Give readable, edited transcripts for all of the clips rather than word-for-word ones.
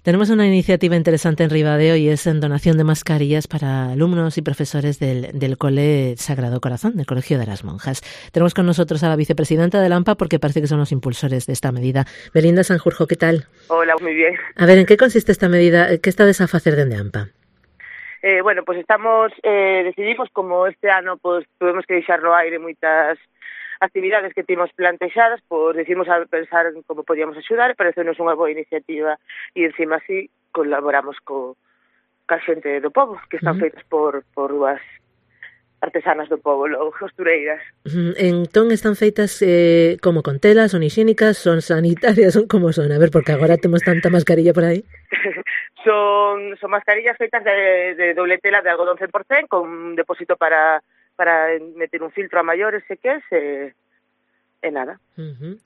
Tenemos una iniciativa interesante en Ribadeo y es en donación de mascarillas para alumnos y profesores del Cole Sagrado Corazón, del Colegio de las Monjas. Tenemos con nosotros a la vicepresidenta del AMPA porque parece que son los impulsores de esta medida. Belinda Sanjurjo, ¿qué tal? Hola, muy bien. A ver, ¿en qué consiste esta medida? ¿Qué estades a facer dende AMPA? Bueno, pues decidimos como este ano pues tuvemos que deixar no aire moitas actividades que temos plantexadas, pois decidimos a pensar en como podíamos axudar e parecenos unha boa iniciativa e encima así colaboramos ca xente do pobo, que están feitas por dúas artesanas do pobo, costureiras. Entón están feitas como con telas, son higiénicas, son sanitarias, son como son? A ver, porque agora temos tanta mascarilla por aí. Son mascarillas feitas de doble tela de algodón 100%, con un depósito para meter un filtro a maiores se queres e nada.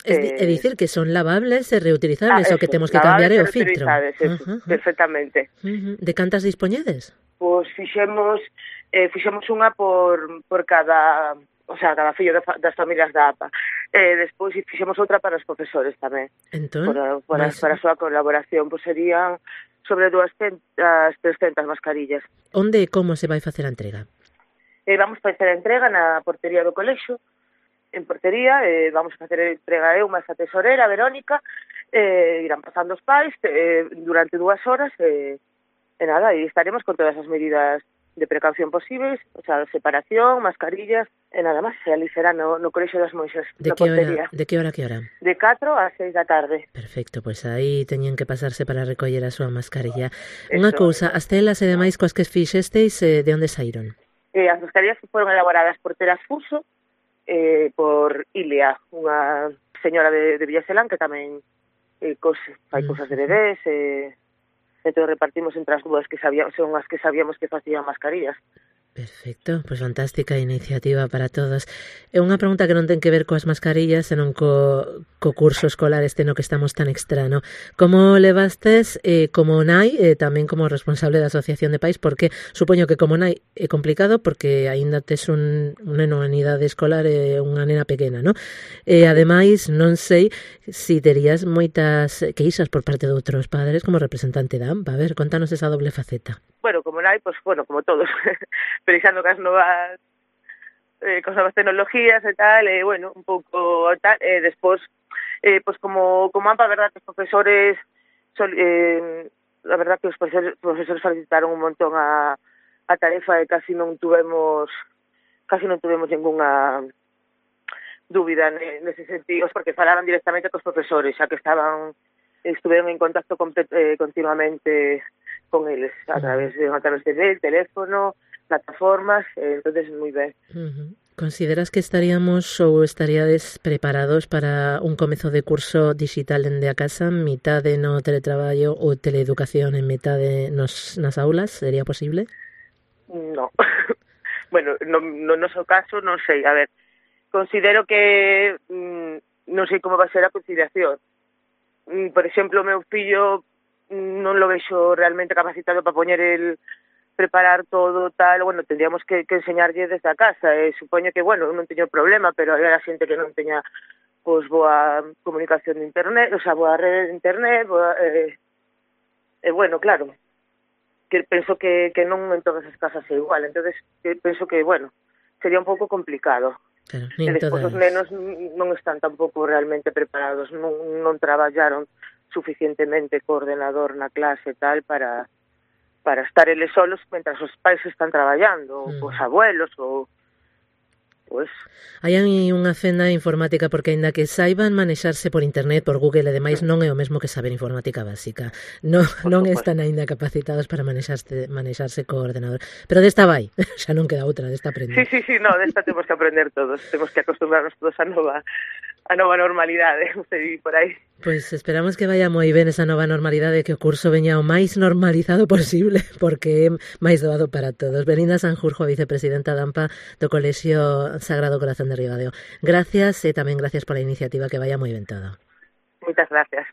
É dicir que son lavables e reutilizables, o que temos que cambiar é o filtro. Perfectamente. De cantas dispoñedes? Pois fixemos unha por cada, o sea, cada fillo das familias da APA. Despois fixemos outra para os profesores tamén. Entón, para a súa colaboración, pois serían sobre 200, 300 mascarillas. Onde e como se vai facer a entrega? Vamos facer a entrega na portería do colexio, en portería, vamos a facer a entrega eu, máis a tesorera, a Verónica, irán pasando os pais durante 2 horas, e nada, e estaremos con todas as medidas de precaución posibles, o sea, separación, mascarillas, e nada máis, se ali será no colexio das monxas, na portería. De que hora a que hora? De 4 a 6 da tarde. Perfecto, pois aí teñen que pasarse para recoller a súa mascarilla. Unha cousa, as telas e demais coas que fixesteis, de onde saíron? As mascarillas foron elaboradas por Telas Fuso, por Ilia, unha señora de Villaselán que tamén fai cousas de bebés, entón repartimos entre as dúas que son as que sabíamos que facían mascarillas. Perfecto, pois fantástica iniciativa para todos. É unha pregunta que non ten que ver coas mascarillas, senón co curso escolar este no que estamos tan extra, no? Como levastes como nai, tamén como responsable da Asociación de Pais, porque supoño que como nai é complicado porque aínda tes un neno en idade escolar e unha nena pequena, no? E ademais non sei se terías moitas queixas por parte de outros padres como representante da AMPA. A ver, contanos esa doble faceta. Bueno, como nai, pues bueno, como todos, pensando cas novas tecnologías e tal, bueno, un pouco tal, despois, pues como AMPA, a verdad, que os profesores, a verdad que os profesores facilitaron un montón a tarefa e casi non tuvemos ningunha dúbida nese sentido, porque falaban directamente cos profesores, xa que estuveron en contacto continuamente con eles, a través de mail, teléfono, plataformas, entonces moi ben. Consideras que estaríades preparados para un comezo de curso digital dende a casa, mitade no teletraballo ou teleeducación en mitade nas aulas? Sería posible? No. Bueno, no noso caso, non sei. A ver, considero que non sei como va a ser a conciliación. Por exemplo, o meu fillo non lo vexo realmente capacitado para preparar todo tal, bueno, tendríamos que enseñarlle desde a casa, supoño que, bueno, non teño problema, pero hai a xente que non teña pois boa comunicación de internet, o sea, boa rede de internet, bueno, claro, que penso que non en todas as casas é igual, entonces penso que, bueno, sería un pouco complicado. Claro, e despois os nenos non están tampouco realmente preparados, non traballaron suficientemente co ordenador na clase e tal para estar eles solos mentras os pais están traballando, ou os abuelos, ou pues. Hai unha fenda informática porque aínda que saiban manexarse por internet, por Google e demais, non é o mesmo que saber informática básica. Non están aínda capacitados para manexarse co ordenador. Pero desta vai, xa non queda outra, desta aprender. Sí, no, desta temos que aprender todos, temos que acostumbrarnos todos a nova normalidade, non sei, por aí. Pois esperamos que vaya moi ben esa nova normalidade, que o curso veña o máis normalizado posible, porque é máis doado para todos. Belinda Sanjurjo, vicepresidenta da AMPA do Colexio Sagrado Corazón de Ribadeo. Gracias e tamén gracias pola iniciativa, que vaya moi ben todo. Moitas gracias.